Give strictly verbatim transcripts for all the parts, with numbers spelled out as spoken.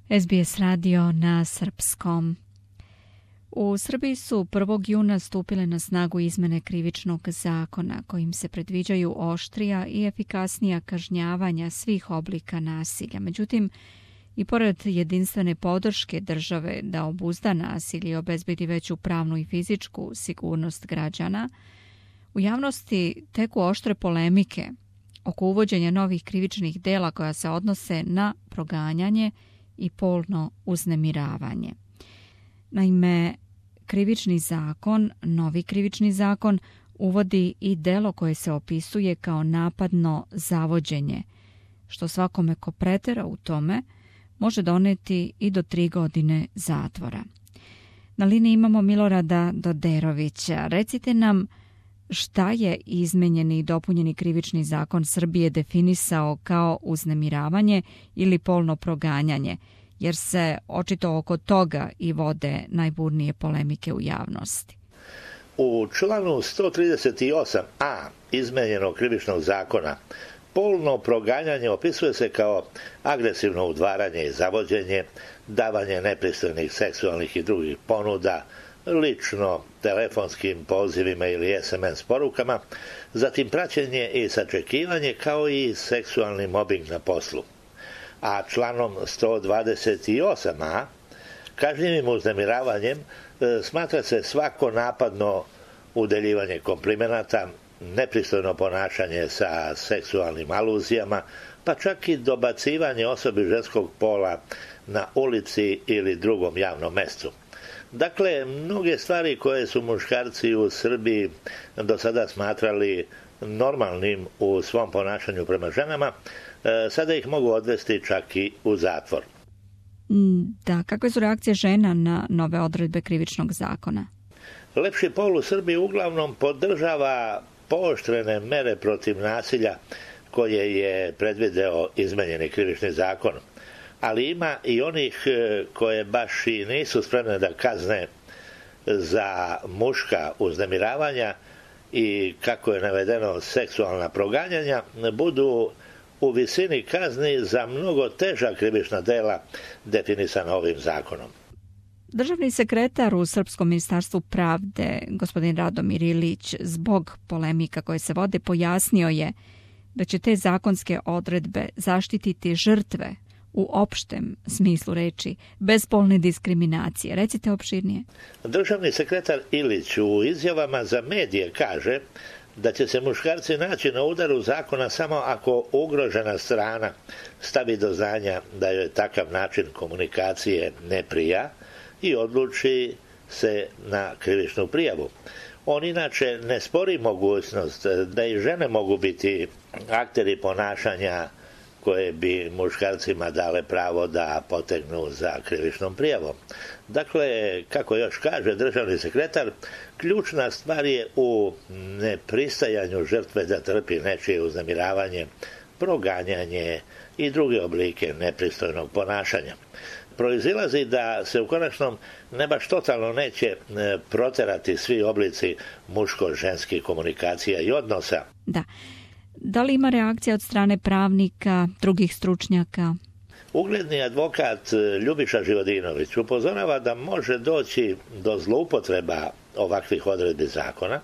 es be es radio na srpskom. U Srbiji su prvog juna stupile na snagu izmene Krivičnog zakona kojim se predviđaju oštrija i efikasnija kažnjavanja svih oblika nasilja. Međutim, i pored jedinstvene podrške države da obuzda nasilje i obezbedi veću pravnu i fizičku sigurnost građana, u javnosti teku oštre polemike oko uvođenja novih krivičnih dela koja se odnose na proganjanje i polno uznemiravanje. Naime, Krivični zakon, novi Krivični zakon, uvodi i delo koje se opisuje kao napadno zavođenje, što svakome ko pretera u tome može doneti i do tri godine zatvora. Na liniji imamo Milorada Doderovića. Recite nam šta je izmenjeni i dopunjeni Krivični zakon Srbije definisao kao uznemiravanje ili polno proganjanje, jer se očito oko toga i vode najburnije polemike u javnosti. U članu sto trideset osam a izmenjenog Krivičnog zakona polno proganjanje opisuje se kao agresivno udvaranje i zavođenje, davanje nepristojnih seksualnih i drugih ponuda, lično telefonskim pozivima ili es em es porukama, zatim praćenje i sačekivanje kao i seksualni mobbing na poslu. A članom sto dvadeset osam a kažnjivim uznemiravanjem smatra se svako napadno udeljivanje komplimenata, nepristojno ponašanje sa seksualnim aluzijama, pa čak i dobacivanje osobi ženskog pola na ulici ili drugom javnom mestu. Dakle, mnoge stvari koje su muškarci u Srbiji do sada smatrali normalnim u svom ponašanju prema ženama, sada ih mogu odvesti čak i u zatvor. Da, kakve su reakcije žena na nove odredbe Krivičnog zakona? Lepši pol u Srbiji uglavnom podržava pooštrene mere protiv nasilja koje je predvideo izmenjeni Krivični zakon. Ali ima i onih koje baš i nisu spremne da kazne za muška uznemiravanja i, kako je navedeno, seksualna proganjanja, budu u visini kazni za mnogo teža krivična dela definisana ovim zakonom. Državni sekretar u Srpskom ministarstvu pravde, gospodin Radomir Ilić, zbog polemika koje se vode, pojasnio je da će te zakonske odredbe zaštititi žrtve u opštem smislu reči, bez polne diskriminacije. Recite opširnije. Državni sekretar Ilić u izjavama za medije kaže da će se muškarci naći na udaru zakona samo ako ugrožena strana stavi do znanja da joj takav način komunikacije ne prija i odluči se na krivičnu prijavu. On inače ne spori mogućnost da i žene mogu biti akteri ponašanja koje bi muškarcima dale pravo da potegnu za krivičnom prijavom. Dakle, kako još kaže državni sekretar, ključna stvar je u nepristajanju žrtve da trpi nečije uznemiravanje, proganjanje i druge oblike nepristojnog ponašanja. Proizilazi da se u konačnom ne baš totalno neće proterati svi oblici muško-ženskih komunikacija i odnosa. Da. Da li ima reakcija od strane pravnika, drugih stručnjaka? Ugledni advokat Ljubiša Živodinović upozorava da može doći do zloupotreba ovakvih odredbi zakona,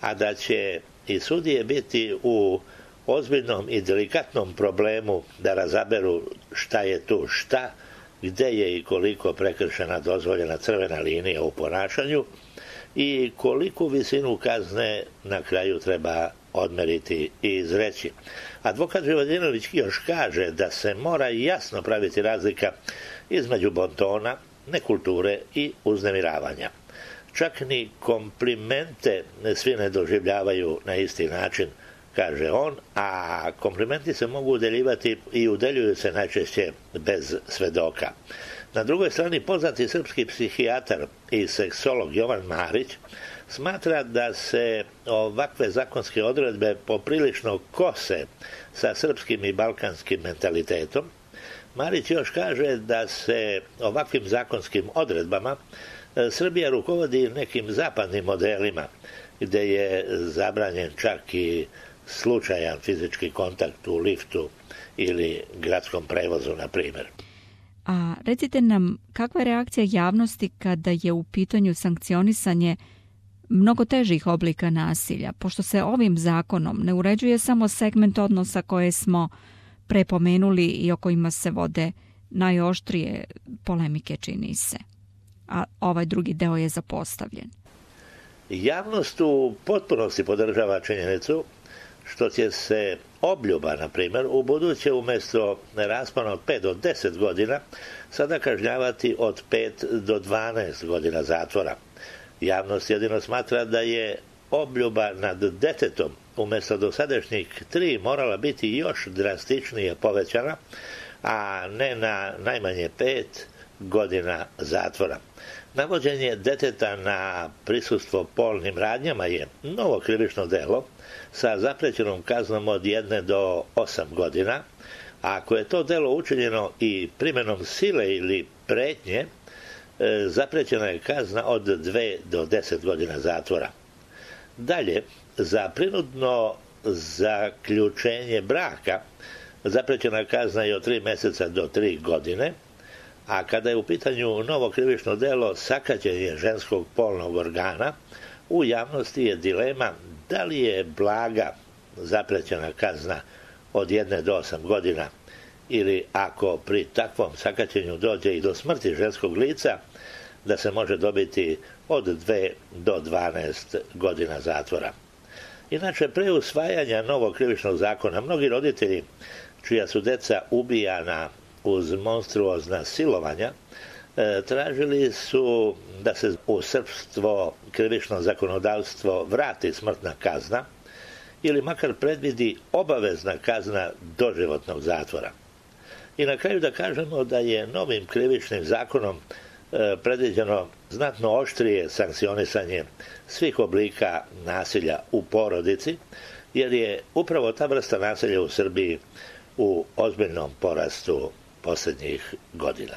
a da će i sudije biti u ozbiljnom i delikatnom problemu da razaberu šta je tu šta, gde je i koliko prekršena dozvoljena crvena linija u ponašanju i koliku visinu kazne na kraju treba odmeriti i izreći. Advokat Živodinović još kaže da se mora jasno praviti razlika između bontona, nekulture i uznemiravanja. Čak ni komplimente svi ne doživljavaju na isti način, kaže on, a komplimenti se mogu udeljivati i udeljuju se najčešće bez svedoka. Na drugoj strani, poznati srpski psihijatar i seksolog Jovan Marić smatra da se ovakve zakonske odredbe poprilično kose sa srpskim i balkanskim mentalitetom. Marić još kaže da se ovakvim zakonskim odredbama Srbija rukovodi nekim zapadnim modelima, gde je zabranjen čak i slučajan fizički kontakt u liftu ili gradskom prevozu, na primjer. A recite nam, kakva je reakcija javnosti kada je u pitanju sankcionisanje mnogo težih oblika nasilja, pošto se ovim zakonom ne uređuje samo segment odnosa koje smo prepomenuli i o kojima se vode najoštrije polemike, čini se, a ovaj drugi deo je zapostavljen. Javnost u potpunosti podržava činjenicu što će se obljuba, na primjer, u buduće umjesto raspona od pet do deset godina sada kažnjavati od pet do dvanaest godina zatvora. Javnost jedino smatra da je obljuba nad detetom umjesto dosadašnjih tri morala biti još drastičnije povećana, a ne na najmanje pet godina zatvora. Navođenje deteta na prisustvo polnim radnjama je novo krivično delo sa zaprećenom kaznom od jedne do osam godina, a ako je to delo učinjeno i primjenom sile ili pretnje, zaprećena je kazna od dve do deset godina zatvora. Dalje, za prinudno zaključenje braka zaprećena kazna je od tri mjeseca do tri godine, a kada je u pitanju novo krivično delo sakaćenje ženskog polnog organa, u javnosti je dilema da li je blaga zaprećena kazna od jedne do osam godina ili ako pri takvom sakaćenju dođe i do smrti ženskog lica, da se može dobiti od dve do dvanaest godina zatvora. Inače, pre usvajanja novog krivičnog zakona, mnogi roditelji čija su deca ubijana uz monstruozna silovanja, tražili su da se u srpstvo krivično zakonodavstvo vrati smrtna kazna ili makar predvidi obavezna kazna doživotnog zatvora. I na kraju da kažemo da je novim krivičnim zakonom predviđeno znatno oštrije sankcionisanje svih oblika nasilja u porodici, jer je upravo ta vrsta nasilja u Srbiji u ozbiljnom porastu posljednjih godina.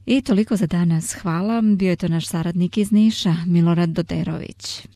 I toliko za danas. Hvala. Bio je to naš saradnik iz Niša, Milorad Doderović.